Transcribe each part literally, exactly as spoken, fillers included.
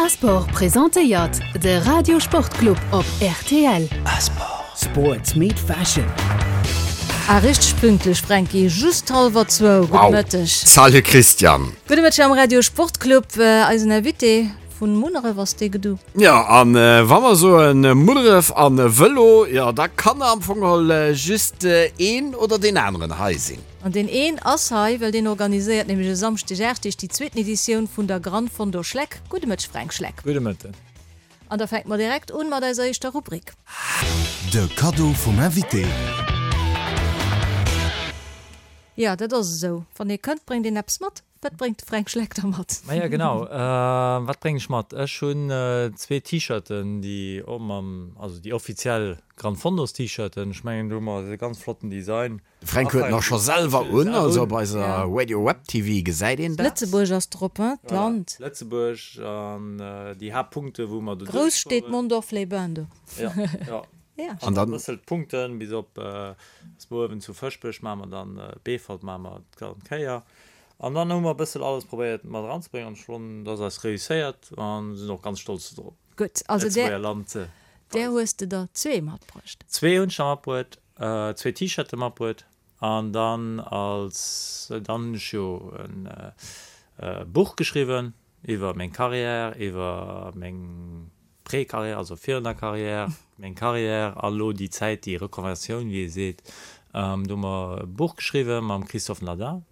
Asport presentéiert de Radio Sportclub op rtl. Asport. Sports meet fashion. Ah, richteg pünktlech, Franky, just hallwer zwou. Gudde Wow. Mëtteg. Salut Christian. Gudde Mëtteg am Radio Sportclub. Eisen Invité vun Munneref ass dee Gedu. Jo, an wa mer soen Munneref an Vëlo, jo da kann am Fong geholl just een oder deen aneren hei sinn. An deen een ass hei, well deen organiséiert nämlech e Samschdeg aacht Deeg déi zweeten Editioun vun der Gran Fondo Schleck. Gudde Mëtteg Fränk Schleck. Gudde Mëtten. An da fänke mer direkt un mat eiser éischter Rubrik. De Kaddo vum Invité. Jo, dat ass esou. Wann ee kënnt, bréngt een eppes mat. Wat bréngt de Fränk Schleck da mat? Maja, genau. Wat bréngen ech mat? Ech hunn zwee T-Shirten, déi och mam, also déi offiziell Gran Fondos T-Shirten. Ech mengen, do hu mer e ganz flotten Design. De Fränk huet en och scho selwer un, also op eiser Radio Web TV gesäit een dat. Lëtzebuerg ass drop, hein, d'Land. Lëtzebuerg an déi Haaptpunkte wou mer do Grouss steet duerchfueren. Mondorf-les-Bains do. Ja, ja. Ja. An dann. E bëssel d'Punkten bis op, ass mer uewen zu Fëschbech maache mer dann, Beefort maache mer d'ganz Kéier. An dann hu mer e bëssel alles probéiert mat eranzebréngen an ech fannen, dat ass eis réusséiert an sinn och ganz stolz dorop. Gutt, also där, Lëtzebuerger Land ze där weisen. hues de der zwee matbruecht. Zwee hunn ech der matbruet, zwee T-Shirte matbruet an dann als, dann hunn ech jo e Buch geschriwwen iwwer meng Carrière, iwwer meng Pré-Carrière, also virun der Carrière, meng Carrière a lo déi Zäit, déi Reconversioun, wéi ee seet. Do hu mer e Buch geschriwwen mam Christophe Naudin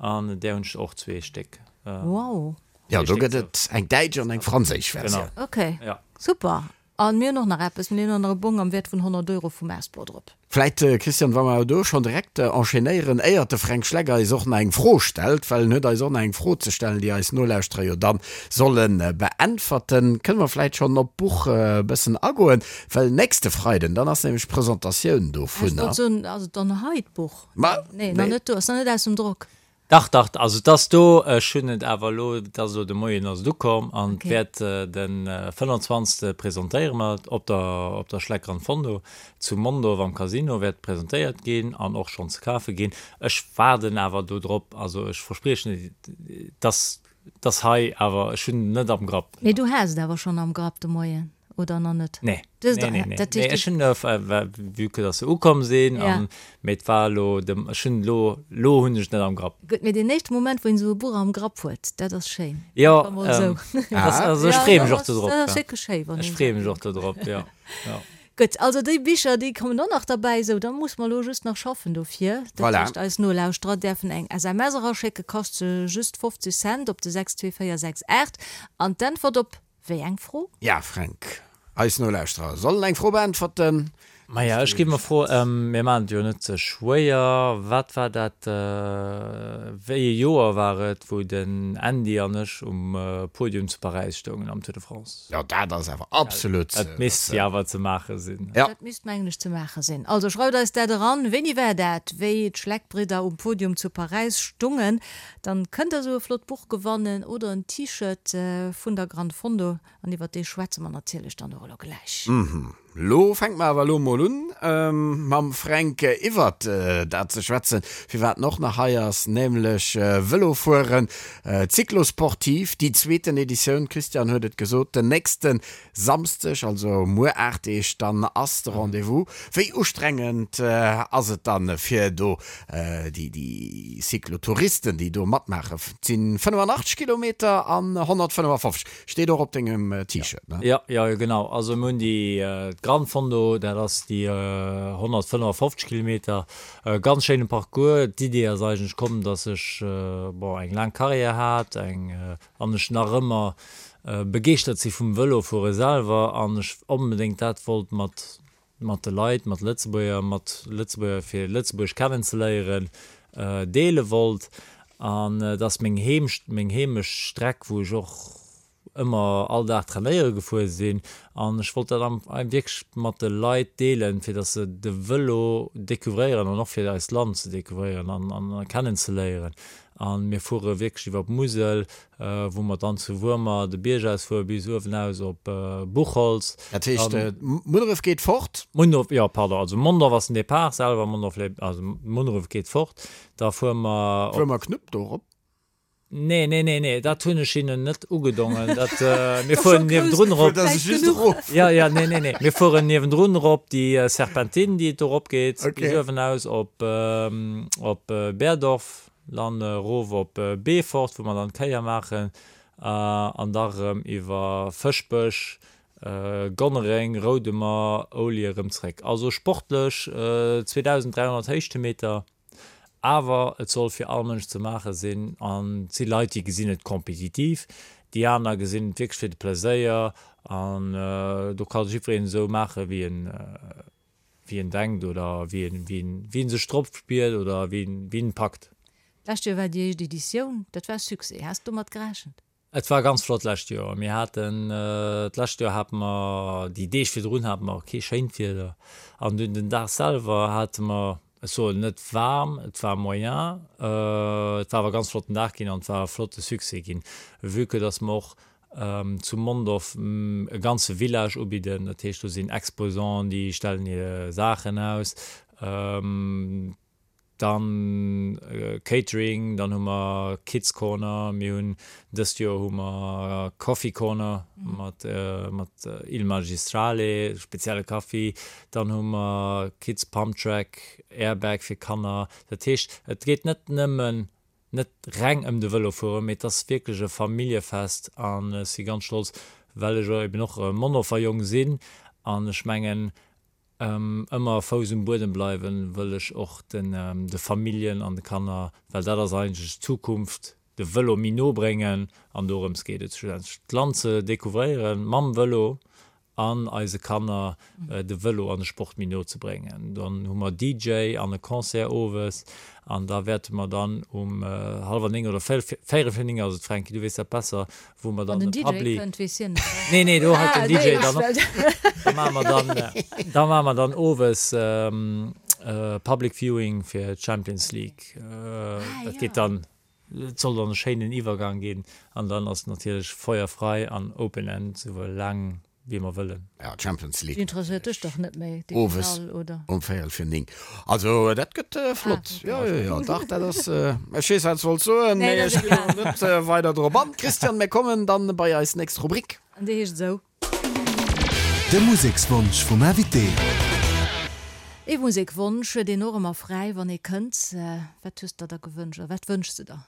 an där hunn ech och zwee Stéck. Wow. Jo, do gëtt et eng däitsch an eng franséisch Versioun. Genau. Ok, Ja. super. An mir hunn och nach eppes, mir hunn och nach e Bong am Wäert vun honnert Euro vum Asport drop. Vläit, Christian, wa mer do schonn direkt enchaînéieren, éiert de Fränk Schleck eis och nach eng Fro stellt, well en huet eis och nach eng Fro ze stellen, déi eis Nolauschterer jo dann solle beäntwerten, kënne mer vläit schonn op d'Buch e bëssen agoen, well nächste Freiden, dann ass nämlech d'Presentatioun Ech dovunner. wollt soen, ass et dann hei d'Buch? Ma, Nee, nach nee. net do, ass nach net aus dem Drock. Dach, dach, also et ass do. Ech hunn et awer elo, et ass elo de Moien ass et ukomm an et Okay. wäert de fënnwanzwanzegste presentéiere mer et op der, op der Schleck Gran Fondo zu Mondorf am Casino wäert presentéiert ginn an och schonn ze kafe ginn. Ech waarden awer do drop, also ech verspriechen net, dass, dass hei, awer ech hunn et net am Grapp. Mee du has et awer schonn am Grapp de Moien, oder nach net? Nee. Du hues Nee, et, nee, nee. dat Nee, heescht, ech hunn, äh, vue que dass se ukomm sinn, Ja. an, mee et war elo dem, ech hunn elo, elo hunn ech et net am Grapp. Gutt, mee deen éischte Moment, wou een esou e Buch am Grapp huet, dat ass schéin. Jo, Einfach mol esou. ähm, das, also ech Ja, freeë dat mech och ass, dodrop, dat ass ja. wierklech schéi, wann Ech een freeë esou mech och dodrop, ja. Ja. Gutt, also déi Bicher, déi kommen och nach derbäi, esou, da muss mer elo just nach schaffen dofir. Dat Voilà. heescht, eis Nolauschterer däerfen eng S M S eraschécken, kascht se just fofzeg Cent op de sechs zwee véier sechs aacht an d'Äntwert op wéi eng Fro? Ja, Fränk, eis Nolauschterer sollen eng Fro beäntwerten. Maja, ech gi mer Fro, mir maachen et jo net ze schwéier. Wat war dat, wéi ee Joer war et, wou den Andy an ech um Podium zu Paräis stoungen am Tour de France? Jo, dat ass awer absolut. Dat misst jo awer ze maache sinn. Ja. Dat misst mengen ech ze maache sinn. Also schreift eis dat eran. Wéini war dat, wéi d'Schleck-Bridder um Podium zu Paräis stungen? Dann kënnt der esou e flott Buch gewannen oder en T-Shirt vun der Gran Fondo. An iwwer dee schwätze mer natierlech dann och elo gläich. Mhm. Lo fänke mer awer elo mol un, mam Fränk iwwert dat ze schwätzen, firwat en och nach hei ass, nämlech Vëlofueren, Cyclosportive, déi zweeten Editioun, Christian huet et gesot, den nächste Samsdeg, also muer aacht Deeg, dann ass de Rendez-vous. Wéi ustrengend ass et dann, fir do déi, déi Cyclotouristen, déi do matmaachen? Et si fënnefanachteg Kilometer an honnertfënnefafofzeg, steet och op dengem T-Shirt, ne? Jo, jo, genau. Also mir hunn déi Gran Fondo, dat ass déi honnertfënnefafofzeg Kilometer, e ganz schéine Parcours. D'Idee ass eigentlech komm, dass ech, bon, eng laang Carrière hat, eng, an ech nach ëmmer begeeschtert si vum Vëlofuere selwer an ech onbedéngt dat wollt mat, mat de Leit, mat Lëtzebuerger, mat Lëtzebuerger fir Lëtzebuerg kennenzeléieren, deele wollt. An et ass meng Heem, meng Heemechtstreck, wou ech och ëmmer all Dag trainéiere gefuer sinn. An ech wollt dat am wierklech mat de Leit deelen, fir datt se de Vëlo découvréieren an och fir eist Land ze découvréieren an, an kennenzeléieren. An mir fuere wierklech iwwer d'Musel, wou mer dann zu Wuermer de Bierg ausfuere bis uewen aus op Buchholz. Dat heescht, Munneref geet fort? Munneref, jo, pardon, also Mondorf ass den Depart selwer, Mondorf, also Munneref geet fort. Da fuere mer op. Fuere mer Knupp do erop? Nee, nee, nee, nee, dat hunn ech hinnen net ugedongen. Dat, äh, mir fueren niewendrun erop. Dass ech just erof. Ja, ja, nee, nee, nee. Mir fueren niewendrun erop déi äh, Serpentine, déi et do erop geet, Okay. bis uewen aus op, ähm, op äh, Berdorf, dann äh, erof op äh, Beefort, wou mer dann d'Kéier maachen, äh, an da erëm iwwer Fëschbech, äh, Gonnereng, Roudemer, Oulje erëm zréck. Also sportlech äh, zweedausend dräihonnert Héichtemeter. Awer et soll fir all Mënsch ze maache sinn an et si Leit, déi gesinn et kompetitiv, déi aner gesinn et wierklech fir de Pleséier an do ka jiddwereen esou maache wéi en, wéi en denkt oder wéi en, wéi en, wéi en sech drop spiert oder wéi en, wéi en packt. D'lescht Joer war déi éischt Editioun, dat war e Succès. Has de domat gerechent? Et war ganz flott d'lescht Joer. Mir haten d'lescht Joer hate mer déi Deeg virdrun hate mer kee schéint Wieder an dunn den Dag selwer hate mer, ech soen net waarm, et war moyen, et war awer e ganz flotten Dag ginn an et war e flotte Succès ginn, vue que dass mer och zu Mondorf e ganze Village ubidden. Dat heescht do sinn Exposanten, déi stellen hir Saachen aus. Dann Catering, dann hu mer Kids Corner, mir hunn dëst Joer hu mer Coffee Corner mat mat Il Magistrale, spezielle Kaffi, dann hu mer Kids Pump Track, Airbag fir Kanner. Dat heescht, et geet net nëmmen, net reng ëm de Vëlo fueren, mee et ass wierklech e Familljefest an ech si ganz stolz, well ech eben och e Mondorfer Jong sinn an ech mengen, Ëmmer Fouss um Buedem bleiwen, wëll ech och de Familljen an de Kanner, well dat ass eigentlech d'Zukunft, de Vëlo méi no bréngen. An dorëms geet et schlussendlech, d'Land ze découvréieren mam Vëlo an eise Kanner de Vëlo an de Sport méi no ze bréngen. Dann hu mer D J an e Concert owes an da wäerte mer dann um hallwer néng oder véierel vir néng ass et, Fränki, du weess dat besser, wou mer Wann dann den de D J Publi kënnt, weess hien et, oder? Nee, nee, do hält Ah, den D J nee, dann op. Da maache mer dann, da maache mer dann owes Public Viewing fir d'Champions League. Ah, Dat ja. geet dann, et soll dann e schéinen Iwwergang ginn an dann ass natierlech Feuer frei an Open End, souwuel laang wéi mer wëllen. Ja, Champions League. Interesséiert dech dach net méi, déi Owes Finall, oder? um véierel vir néng. Also dat gëtt flott. Ah, okay. Jo, jo, jo, dach, dat ass, ech weess, wat s wollt soen, Nee, mee dat ass ech ginn egal. elo net weider drop an. Christian, mir kommen dann bei eis nächst Rubrik. An déi heescht esou. De Musekswonsch vum Invité. Ee Musekwonsch huet een och ëmmer fräi, wann ee kënnt. Wat hues de der da gewënscht oder wat wënschs de der?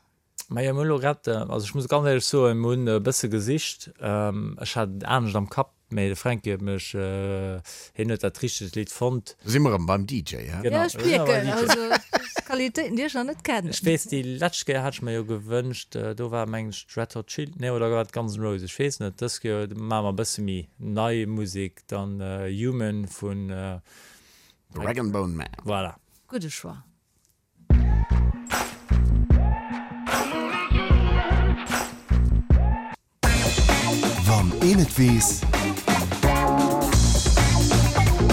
Majo, mir hunn elo grad, also ech muss ganz éierlech soen, mir hunn e bësse gesicht. Ech hat et anescht am Kapp, mee de Fränki huet mech, hien huet dat richtegt Lidd fonnt. Si mer erëm beim D J, he? Genau, Ja, ech mir sinn erëm beim mierken, D J. also dat Qualitéiten, déi ech nach net kennen. Ech weess, déi lescht Kéier hat ech mer jo gewënscht, do war mengen ech d'Red Hot Chili, nee, oder war et Guns N' Roses, ech weess net. Dës Kéier maache mer e bësse méi nei Musek, dann Human vun. Rag'n'Bone Man. Voilà. Gudde Choix. Wann een et weess.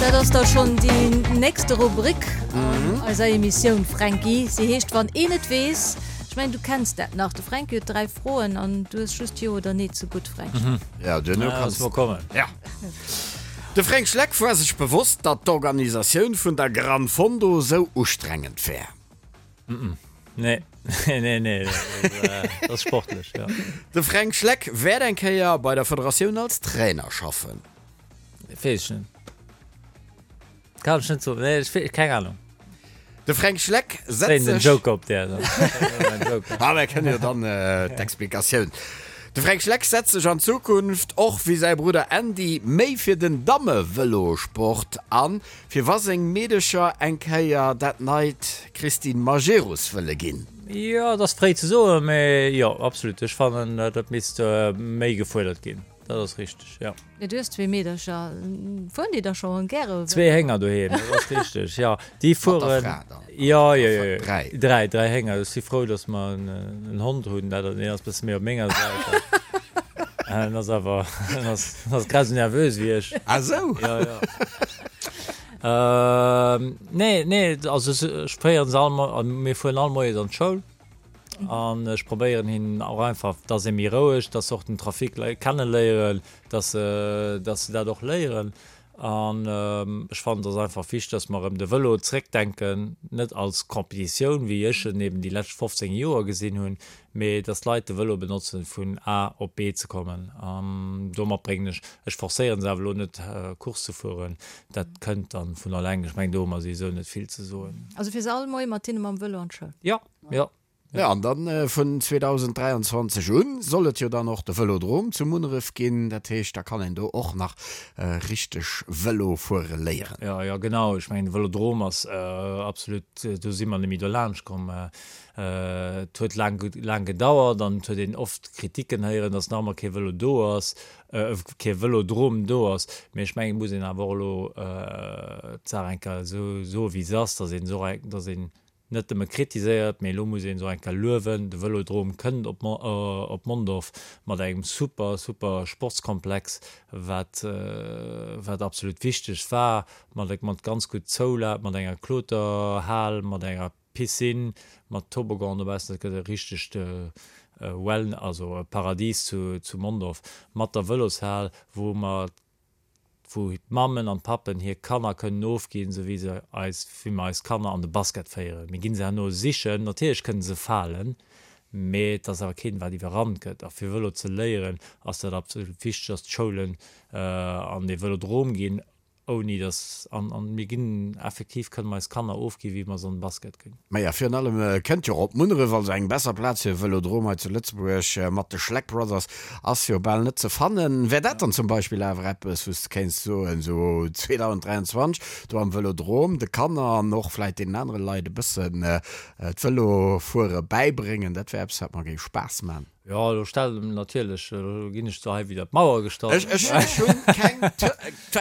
Dat ass da schonn déi nächste Rubrik an eiser Emissioun, Fränki. Si heescht Wann een et weess. Ech mengen, du kenns dat nach. De Fränki huet dräi Froen an du hues just Jo oder Nee ze gutt, Fränk. Ja, duerno Ja, kanns looss mol kommen. Ja. De Fränk Schleck war sech bewosst, datt d'Organisatioun vun der Gran Fondo sou ustrengend wär. Nee, nee, nee, nee, dat ass sportlech, jo. De Fränk Schleck wäert eng Kéier bei der Federatioun als Trainer schaffen. Weess ech net. Kann ech net soen. Nee, ech wee, keng Ahnung. De Fränk Schleck setzt Zéien den sech. Joker op där dann. Ah, mir kënnen jo dann d'Explikatioun. De Fränk Schleck setzt sech an Zukunft och wéi säi Brudder Andy méi fir den Dammevëlosport an, fir wa seng Meedecher eng Kéier dat neit Christine Majerus wëlle ginn. Jo, et ass fréi ze soen, mee jo, absolut. Ech fannen, dat misst méi gefuerdert ginn. Dat ass richteg, jo. Jo, du hues zwee Meedercher. Fueren déi da scho gäre Vëlo? Zwee Hénger doheem, dat ass richteg, jo. Déi Mat der fueren. Fra dann? Jo, jo, jo, jo. Dräi. Dräi, dräi Hénger. Ech si frou, datt mer en Hond hunn. Dat, deen ass e bësse méi op menger Säit. En ass awer, en ass, en ass grad esou nervös wéi ech. Ah sou? Jo, jo. Nee, nee, also ech féieren se all, mir fueren all Moies an d'Schoul. An ech probéieren hinnen och einfach, dass ee méi roueg, dass se och den Trafic kenneléieren, dass se, dass se dat och léieren. An ech fannen, et ass einfach wichteg, dass mer erëm de Vëlo zréckdenken, net als Competitioun, wéi ech en eben déi lescht fofzéng Joer gesinn hunn, mee dass d'Leit de Vëlo benotzen, vun A op B ze kommen. An domat bréngen ech, ech forcéieren se awer elo net, Course ze fueren, dat kënnt dann vun alleng. Ech mengen, do hu mer souwisou net vill ze soen. Also fiers all Moie mat hinne mam Vëlo an d'Schoul? Jo, jo. Jo, an dann vun zweedausenddräianzwanzeg un soll et jo dann och de Vëlodrom zu Munneref ginn. Dat heescht, da kann een do och nach richteg Vëlo fuere léieren. Jo, jo, genau. Ech mengen, de Vëlodrom ass absolut, do si mer net méi dolaanscht komm. Et huet laang, laang gedauert an et huet een oft Kriticken héieren, datt nach ëmmer kee Vëlo do ass, kee Vëlodrom do ass. Mee ech mengen, et muss een awer och elo d'Saach eng Kéier esou soen, wéi se ass, datt een esou, datt een net nëmme kritiséiert, mee elo muss een se och eng Kéier luewen, de Vëlodrom kënnt op op Mondorf mat engem super, super Sportskomplex, wat wat absolut wichteg war, mat mat ganz gutt Zoula, mat enger Kloterhal, mat enger Piscine, mat Toboggan dobaussen. Dat gëtt e richtegt Well, also e Paradis zu zu Mondorf, mat der Vëloshal, wou mer wou d'Mammen an d'Pappen hir Kanner kënnen ofginn, esou wéi se eis, wéi mer eis Kanner an de Basket féieren. Mir ginn se herno sichen, natierlech kënnen se falen, mee et ass awer keen, wat iwwerrannt gëtt. A fir Vëlo ze léieren, ass dat absolut wichteg, dass d'Schoulen an dee Vëlodrom ginn, ouni dass, an, an mir ginn effektiv, kënnen mer eis Kanner ofginn, wéi mer se an de Basket ginn. Maja, virun allem kënnt jo och op Munneref, also eng besser Plaz fir e Vëlodrom hei zu Lëtzebuerg mat de Schleck Brothers ass jo bal net ze fannen. Wär dat dann zum Beispill awer eppes, wou s de kéints soen, esou zweedausenddräianzwanzeg do am Vëlodrom de Kanner an och vläit deenen anere Leit e bëssen d'Vëlofuere bäibréngen, dat wär eppes, wat mer géif Spaass man? Jo, elo stell natierlech, elo ginn ech zwar hei widder d'Mauer gestallt. Ech, ech, ech hunn keng,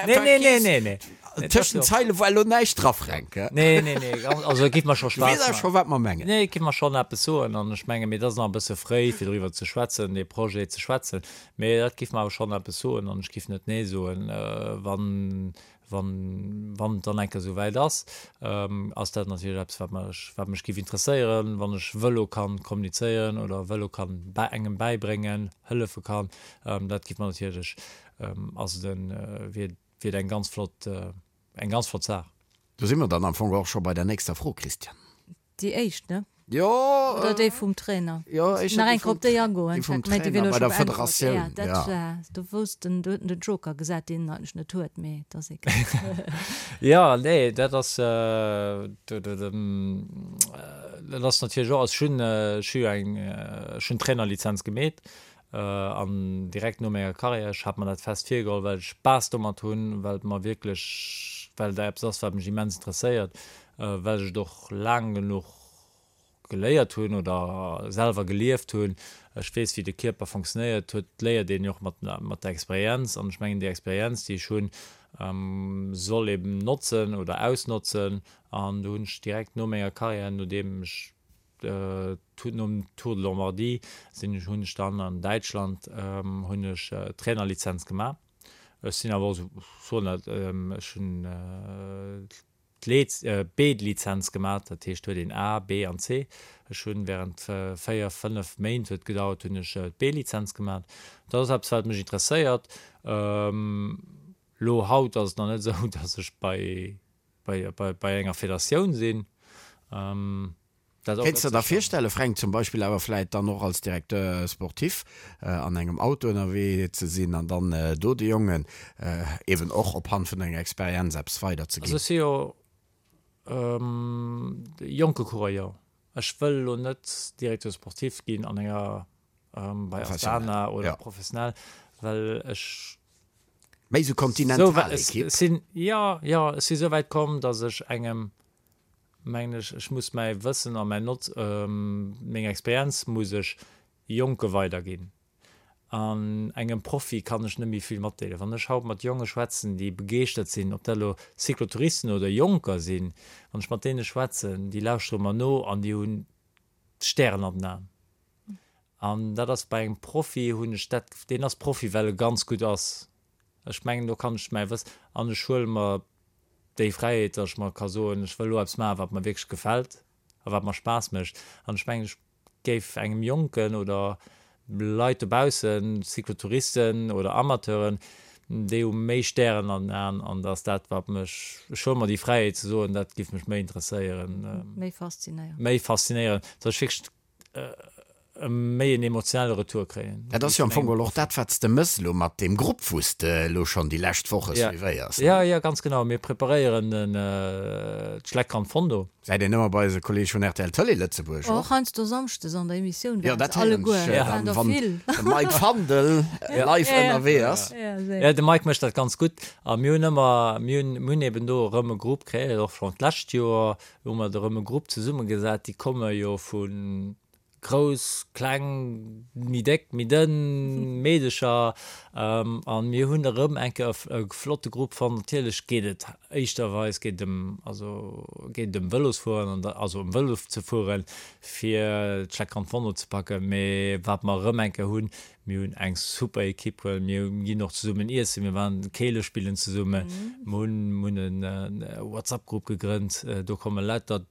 Nee, nee, nee, nee, nee. Tëschent d'Zeile war elo näischt dra, Fränk, he? Nee, nee, nee, also et géif mer scho Du weess Spaass awer scho, maachen. wat mer mengen. Nee, et géif mer schonn eppes soen an ech menge mee et ass nach e bësse fréi, fir doriwwer ze schwätzen, dee Projet ze schwätzen, mee dat géif mer awer schonn eppes soen an ech géif net nee soen, wann, Wann, wann et dann eng Kéier esou wäit ass, ass dat natierlech eppes, wat mech, wat mech géif interesséieren, wann ech Vëlo kann kommunizéieren oder Vëlo kann bä, engem bäibréngen, hëllefe kann. Dat géif mer natierlech, ass et en, wier, wier et eng ganz flott, eng ganz flott Saach. Do si mer dann am Fong och scho bei der nächster Fro, Christian. Déi éischt, ne? Jo. Oder déi vum Trainer? Jo, éischter Nach déi eng Kéier vum, op déi agoen. déi vum Mä déi Trainer wier elo bei scho der beäntwert. Federatioun, Ja, dat ja. war, do wousst en, do huet en den Joker gesat, deen en eigentlech net huet, mee et ass egal. Jo, nee, dat ass, do, do, do, dat ass natierlech och, also ech hunn, ech hu jo eng, ech hunn d'Trainerlizenz gemeet an direkt no menger Karriär, ech hat mer dat fest virgeholl, well ech Spaass domat hunn, well et mer wierklech, well dat eppes ass, wat mech immens interesséiert, well ech et och laang genuch geléiert hunn oder selwer gelieft hunn. Ech weess, wéi de Kierper fonctionnéiert huet, léiert een jo och mat mat der Experienz. An ech mengen, déi Experienz, déi ech hunn, soll eben notzen oder ausnotzen. An do hunn ech direkt no menger Karriär, nodeem ech nom Tour de Lombardie sinn ech, hunn ech dann an Däitschland hunn ech d'Trainerlizenz gemaach. Ech sinn awer och esou, soen dat, ech hunn d'B-Lizenz gemaach, dat heescht huet een A, B an C. Ech hunn während véier, fënnef Méint huet gedauert, hunn ech d'B-Lizenz gemaach. Dat ass eppes wat mech interesséiert. Elo haut ass et nach net esou, datt ech bei bei bei enger Federatioun sinn. Dat Kéints de der virstellen, Fränk, zum Beispill awer vläit dann och als Directeur sportif an engem Auto ënnerwee ze sinn an dann do de Jongen eben och op Hand vun denger Experienz eppes weiderzeginn? Also ech si jo jonke Coureur, jo. Ech wëll elo net Directeur sportif ginn an enger, bei Astana oder professionell, well ech Méi esou Kontinentalekipp? Sinn, jo, jo, ech si souwäit komm, datt ech engem mengen ech, ech muss mäi Wëssen a mäin Notz, meng Experienz muss ech Jonke weiderginn. An engem Profi kann ech net méi vill matdeelen. Wann ech haut mat Jonge schwätzen, déi begeeschtert sinn, ob dat elo Cyclotouristen oder Jonker sinn, wann ech mat deene schwätzen, déi lauschtere mer no an déi hunn d'Stären an den Aen. An dat ass bei engem Profi, hunn ech dat, deen ass Profi, well e ganz gutt ass. Ech mengen, do kann ech mäi Wëss, an ech huele mer déi Fräiheet, datt ech mer ka soen, ech wëll elo eppes maachen, wat mer wierklech gefält a wat mer Spaass mécht. An ech mengen, ech géif engem Jonken oder Leit dobaussen, Cyclotouristen oder Amateuren, Déi hu méi Stären an den Aen an dat ass dat, wat mech, ech huele mer déi Fräiheet ze soen, dat géif mech méi interesséieren. Méi faszinéieren. Méi faszinéieren, datt ech wierklech méi en emotionelle Retour kréien. Dat ass jo am Fong geholl och dat, wat s de mëss elo mat deem Grupp, wou s de elo schonn déi lescht Woche suivéiers. Jo, jo, ganz genau. Mir preparéieren den d'Schleck Gran Fondo. Säit een ëmmer bei eise Kolleeg vun rtl Tëlee Lëtzebuerg och. Och heiansdo Samschdes an der Emissioun waren se alleguer. Jo, dat héieren ech dann, wann de Mike Fandel live ënnerwee ass. Jo, de Mike mécht dat ganz gutt. A mir hunn ëmmer, mir hunn, mir hunn eben do erëm e Grupp kreéiert, och schonn d'lescht Joer hu mer do erëm e Grupp zesummegesat. Déi komme jo vu Grouss, kleng, méi déck, méi dënn, Meedecher. An mir hunn erëm eng Kéier e flotte Grupp fonnt. Natierlech geet et éischterweis geet et ëm, also geet et ëm Vëlosfueren an also ëm Vëlo ze fueren, fir d'Schleck Gran Fondo ze packen. Mee wat mer erëm eng Kéier hunn, mir hunn eng super Ekipp, well mir ginn och zesummen iessen, mir waren Keele spillen zesummen, mir hunn e WhatsApp-Grupp gegrënnt, do komme lauter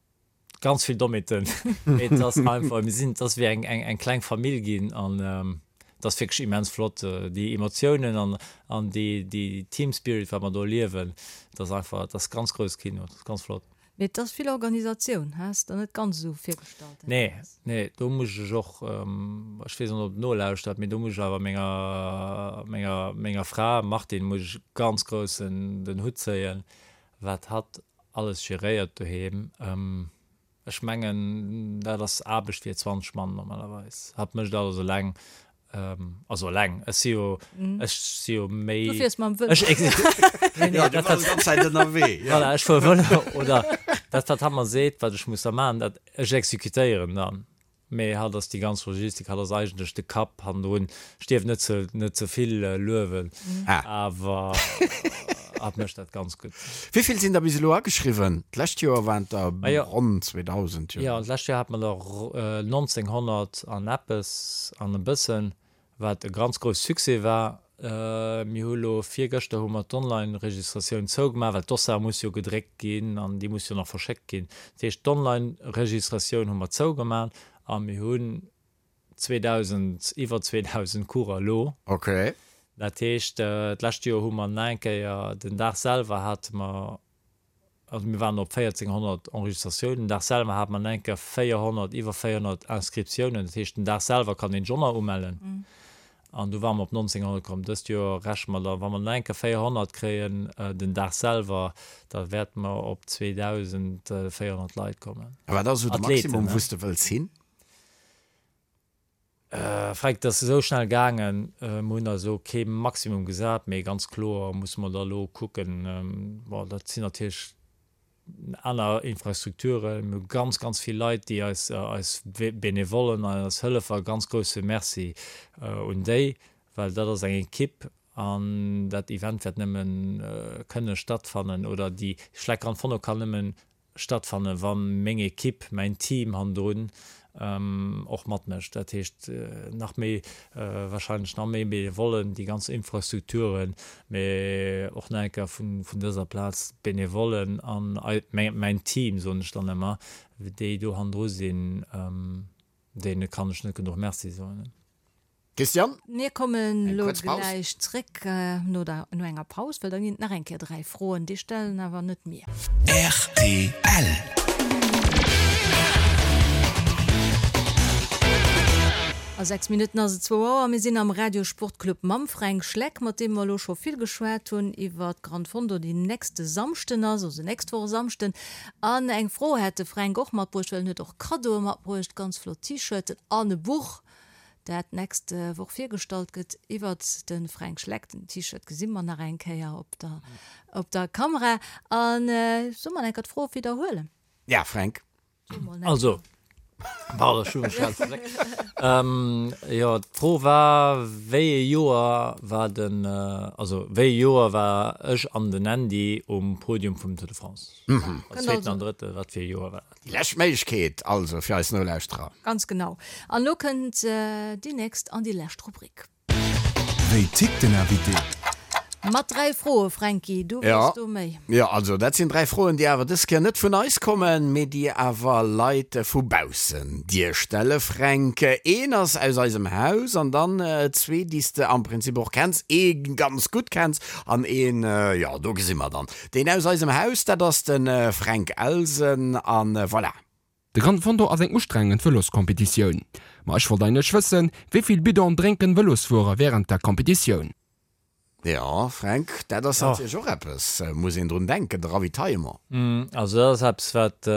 Ganz vill Dommheeten, mee et ass einfach, mir sinn, et ass wéi eng, eng, eng kleng Famill ginn an et ass wierklech immens flott, déi Emotiounen an, an déi, déi Team Spirit, wat mer do erliewen, et ass einfach, et ass ganz grouss Kino, et ass ganz flott. Mee et ass vill Organisatioun, has der net ganz esou virgestallt? Nee, nee, do muss ech och, ech weess net, ob et nolauschtert, mee do muss ech awer menger, menger, menger Fra Martine muss ech ganz grouss den, den Hutt zéien, wat hatt alles geréiert doheem. Ech mengen, dat ass Aarbecht fir zwanzeg Mann normalerweis. Hatt mécht alles eleng. Also eleng, ech si jo, ech si jo méi. Du fiers mam Vëlo. Ech exekutéieren. Jo, du bass déi ganz Zäit ënnerwee. Voilà, ech fuere Vëlo oder dat, wat hatt mer seet, wat ech muss da maachen, dat ech exekutéieren dann. Mee hatt ass déi ganz Logistik, hatt ass eigentlech de Kapp hannendrun. Ech dierf net ze, net ze vill luewen, awer hatt mécht dat ganz gutt. Wéi vill sinn der bis elo ageschriwwen? D'lescht Joer waren et der ronn zweedausend, jo. Jo, d'lescht Joer hate mer der nonzénghonnert an eppes an e bëssen. Wat e ganz grouss Succès war. Mir hu lo virgëschter hu mer d'Online-Registratioun zougemaach, well d'Dossard muss jo gedréckt ginn an déi muss jo nach verschéckt ginn. Dat heescht, d'Online-Registratioun hu mer zougemaach a mir hunn zweedausend, iwwer zweedausend Coureur elo. Okay. Dat heescht, d'lescht Joer hu mer nach eng Kéier, den Dag selwer hate mer, Also mir waren op véierzénghonnert Enregistratiounen. Den Dag selwer hate mer nach eng Kéier véierhonnert, iwwer véierhonnert Inscriptiounen. Dat heescht, den Dag selwer kann een sech och nach umellen. An du ware mer op nonzénghonnert komm. Dëst Joer rechne mer da, wa mer nach eng Kéier véierhonnert kréien den Dag selwer, da wäerte mer op zweedausendvéierhonnert Leit kommen. A wat ass esou de Maximum, wou s de wëlls hin? Fränk, Et ass esou schnell gaangen. Mir hunn eis elo kee Maximum gesat, mee ganz kloer musse mer da elo kucken. Bon, dat sinn natierlech aner Infrastrukturen. Mir hu ganz, ganz vill Leit, déi eis, eis Benevollen an eis Hëllefer, ganz grousse Merci un déi, well dat ass eng Ekipp an dat Event wäert nëmme kënne stattfannen oder déi Schleck Gran Fondo kann nëmmen stattfannen, wa meng Ekipp, mäin Team hannendrun och matmécht. Dat heescht, nach méi, wahrscheinlech nach méi Benevollen, déi ganz Infrastrukturen, mee och nach eng Kéier vun dëser Plaz d'Benevollen an mäin Team, soen ech dann ëmmer, déi do hannendru sinn, deene kann ech net genuch Merci soen. Christiane? Mir kommen elo gläich zréck no der, no enger Paus, well da ginn et nach eng Kéier dräi Froen. Déi stellen awer net mir. Rtl. A sechs Minutten ass et zwou Auer. Mir sinn am Radio Sportclub mam Fränk Schleck, mat deem mer elo scho vill geschwat hunn iwwer d'Grand Fondo, déi nächste Samschden ass, also nächst Woch e Samschden. An eng Fro hätt de Fränk och matbruecht, well en huet och Kaddoe matbruecht, ganz flott T-Shirten an e Buch. dat d'nächst Woch virgestallt gëtt, iwwert de Fränk Schleck. Den T-Shirt gesi mer nach eng Kéier op der, op der Kamera. An solle mer enker d'Fro widderhuelen? Ja, Fränk. Also, pardon, ech hu mech grad verdréckt. Jo, d'Fro war, wéi ee Joer war den, also wéi ee Joer war ech an den Andy um Podium vum Tour de France? Als Zweeten an Drëtte, wat fir ee Joer war dat? Déi lescht Méiglechkeet also fir eis Nolauschterer. Ganz genau. An elo kënnt déi nächst an déi lescht Rubrik. Wéi tickt den Invité? Mat dräi Froe, Franky, du Ja. weess do méi. Jo, also dat sinn dräi Froen, déi awer dës Kéier net vun eis kommen, mee déi awer Leit vu baussen dir stelle, Fränk. Een ass aus eisem Haus an dann zwee, déi s de am Prinzip och kenns, ee ganz gutt kenns an een, jo, do gesi mer dann. Deen aus eisem Haus, dat ass de Fränk Elsen an voilà. De Gran Fondo ass eng ustrengend Vëloscompetitioun. Ma ech wollt eigentlech wëssen, wéi vill Bidon drénken Vëlosfuerer wärend der Competitioun? Jo, Fränk, dat ass natierlech och eppes, muss een drun denken, de Ravitaillement. Also dat ass eppes, wat,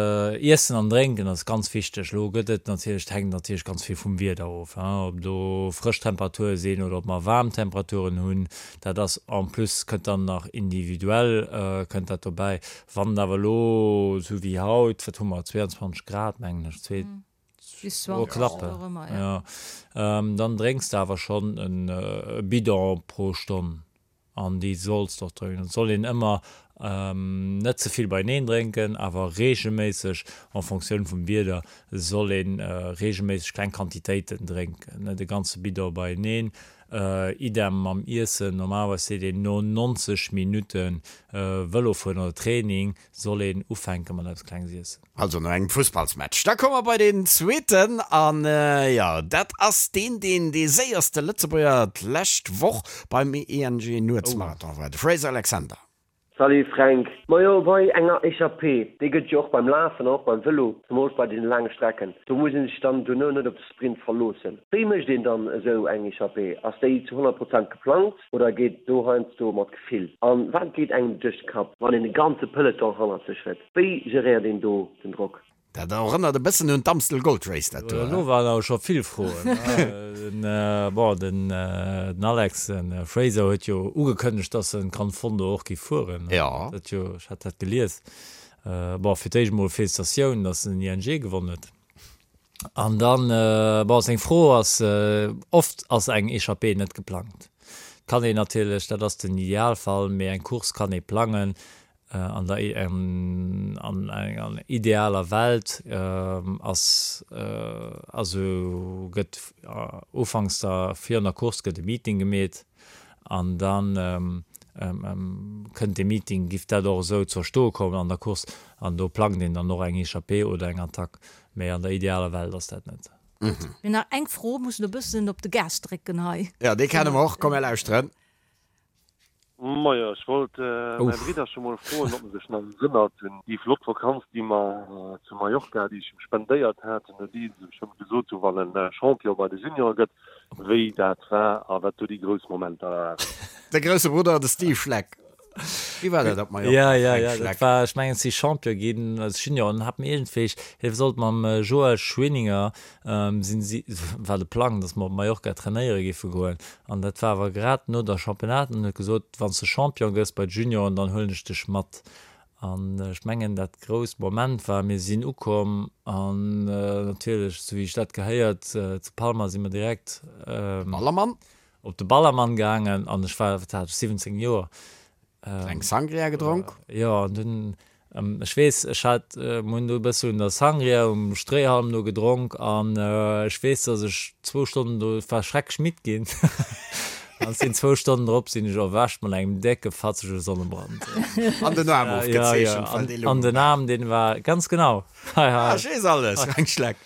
Iessen an Drénken ass ganz wichteg. Elo gëtt et natierlech, et hänkt natierlech ganz vill vum Wieder of, ob do frësch Temperature sinn oder ob mer waarm Temperaturen hunn. Dat ass en plus kënnt dann nach individuell kënnt dat dobäi. Wann et awer elo esou wéi haut, wat hu mer, zweiundzwanzeg Grad mengen ech, zwee, Bis oh, zwanzeg, knapp, wou och ëmmer, ja. ja, dann drénks de awer schonn e Bidon pro Stonn. An déi solls de och drénken. Et soll een ëmmer net ze vill beieneen drénken, awer reegelméisseg, en Fonctioun vum Wieder, soll ee reegelméisseg kleng Quantitéiten drénken, net e ganze Bidon beieneen. Idem mam Iessen, normalerweis seet een, no neunzeg Minutte Vëlofueren oder Training soll een ufänke mat eppes Klenges iessen. Also no engem Fussballsmatch. Da komme mer bei deen zweeten an jo, dat ass deen, deen dee séierste Lëtzebuerger d'lescht Woch beim I N G Nuetsmarathon war, de Fraser Alexander. Salut Fränk, majo bei enger Echappée, déi gëtt jo och beim Lafen an och beim Vëlo, zemools bei deene laange Strecken, do muss een sech dann duerno net op de Sprint verloossen. Wéi mécht een dann esou eng Echappée? Ass déi zu honnert Prozent geplangt oder geet do heiansdo mat Gefill? An wat geet engem duerch de Kapp, wann een e ganze Peloton hannert sech huet? Wéi geréiert een do den Drock? Dat erënnert e bëssen un d'Amstel Gold Race, dat do. Elo waren awer scho vill Froen. Bon, den Alex, de Fraser huet jo ugekënnegt, dass en Gran Fondo och géif fueren. Jo. Dat jo, ech hat dat gelies. Bon, fir d'éischt emol Felicitatioun, dass en den I N G gewonnen huet. An dann, bon, seng Fro ass, oft ass eng Echappée net geplangt. Kann een natierlech, dat ass den Idealfall, mee eng Course kann ee plangen. An der an enger idealer Welt ass also gëtt ufanks der virun der Course gëtt e Meeting gemeet an dann kënnt dee Meeting, giff dat och esou zur Stoe kommen an der Course an do plangt een dann och eng Echappée oder eng Attack. Mee an der idealer Welt ass dat net. Mir hunn nach eng Fro, mussen e bëssen op de Gas drécken hei. Jo, déi kenne mer och. Komm, mir lauschteren. Majo, ech wollt mäi Bridderche mol froen, ob en sech nach erënnert un déi flott Vakanz, déi mer zu Mallorca, déi ech him spendéiert hat, nodeems ech him gesot hu wann en Champion bei de Juniore gëtt, wéi dat war a wat do déi grouss Momenter waren. De grousse Brudder, de Steve Schleck. Wéi war dat op Mallorca, Ja, ja, Fränk ja, dat Schleck? war, ech mengen, si Champion ginn als Junior an hat mir iergendwéi, hie sollt mam Joël Schwinninger, sinn si, war de Plang, datt mer op Mallorca trainéiere géife goen an dat war awer grad no der Championnat an huet gesot, wann s de Champion gëss bei de Junioren, dann huelen ech dech mat. An ech mengen, dat grousst Moment war, mir sinn ukomm an natierlech, esou wéi sech dat gehéiert, zu Palma si mer direkt Ballermann? op de Ballermann gaangen an ech war, wat hat ech, siwwenzéng Joer. Eng Sangria gedronk? Jo, an dunn, ech weess, ech hat, mir hunn do e bësse un der Sangria um Stréihalm do gedronk an ech weess, datt ech zwou Stonnen do, ech war schrecklech midd ginn an sinn zwou Stonnen drop sinn ech erwächt mat engem décke fatzege Sonnebrand. An den Aarm ofgezeechent, well dee An Logo den Aarm, deen war, ganz genau, hei, hei. Ah, ech weess alles, Fränk Schleck.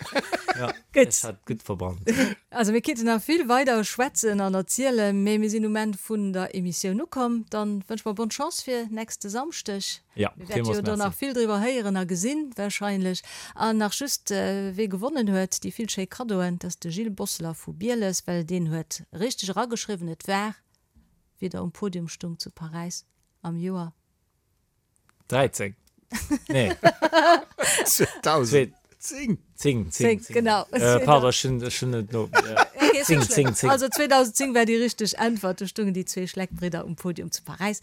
Ja, Gutt. ech hat gutt verbrannt. Also mir kinnten nach vill weider schwätzen an erzielen, mee mir sinn um Enn vun der Emissioun ukomm. Dann wënsche mer bonne Chance fir nächste Samschdeg. Ja, Mir wäerte villmools jo do merci. nach vill driwwer héieren a gesinn wahrscheinlech. An nach just, wee gewonnen huet déi vill schéi Kaddoen, dat ass de Gilles Bosseler vu Bieles, well deen huet richteg erageschriwwen, et war wéi der um Podium stung zu Paräis am Joer. dräizéng. Nee. zweedausendzéng. Zéng, zéng, Zéng, zéng. genau. Äh, pardon, ech hunn, ech hunn net no. Ja. Okay, ist Zéng, net schlëmm. zéng, zéng. Also zweedausendzéng war déi richteg Äntwert. Do stungen déi zwee Schleckbridder um Podium zu Paräis.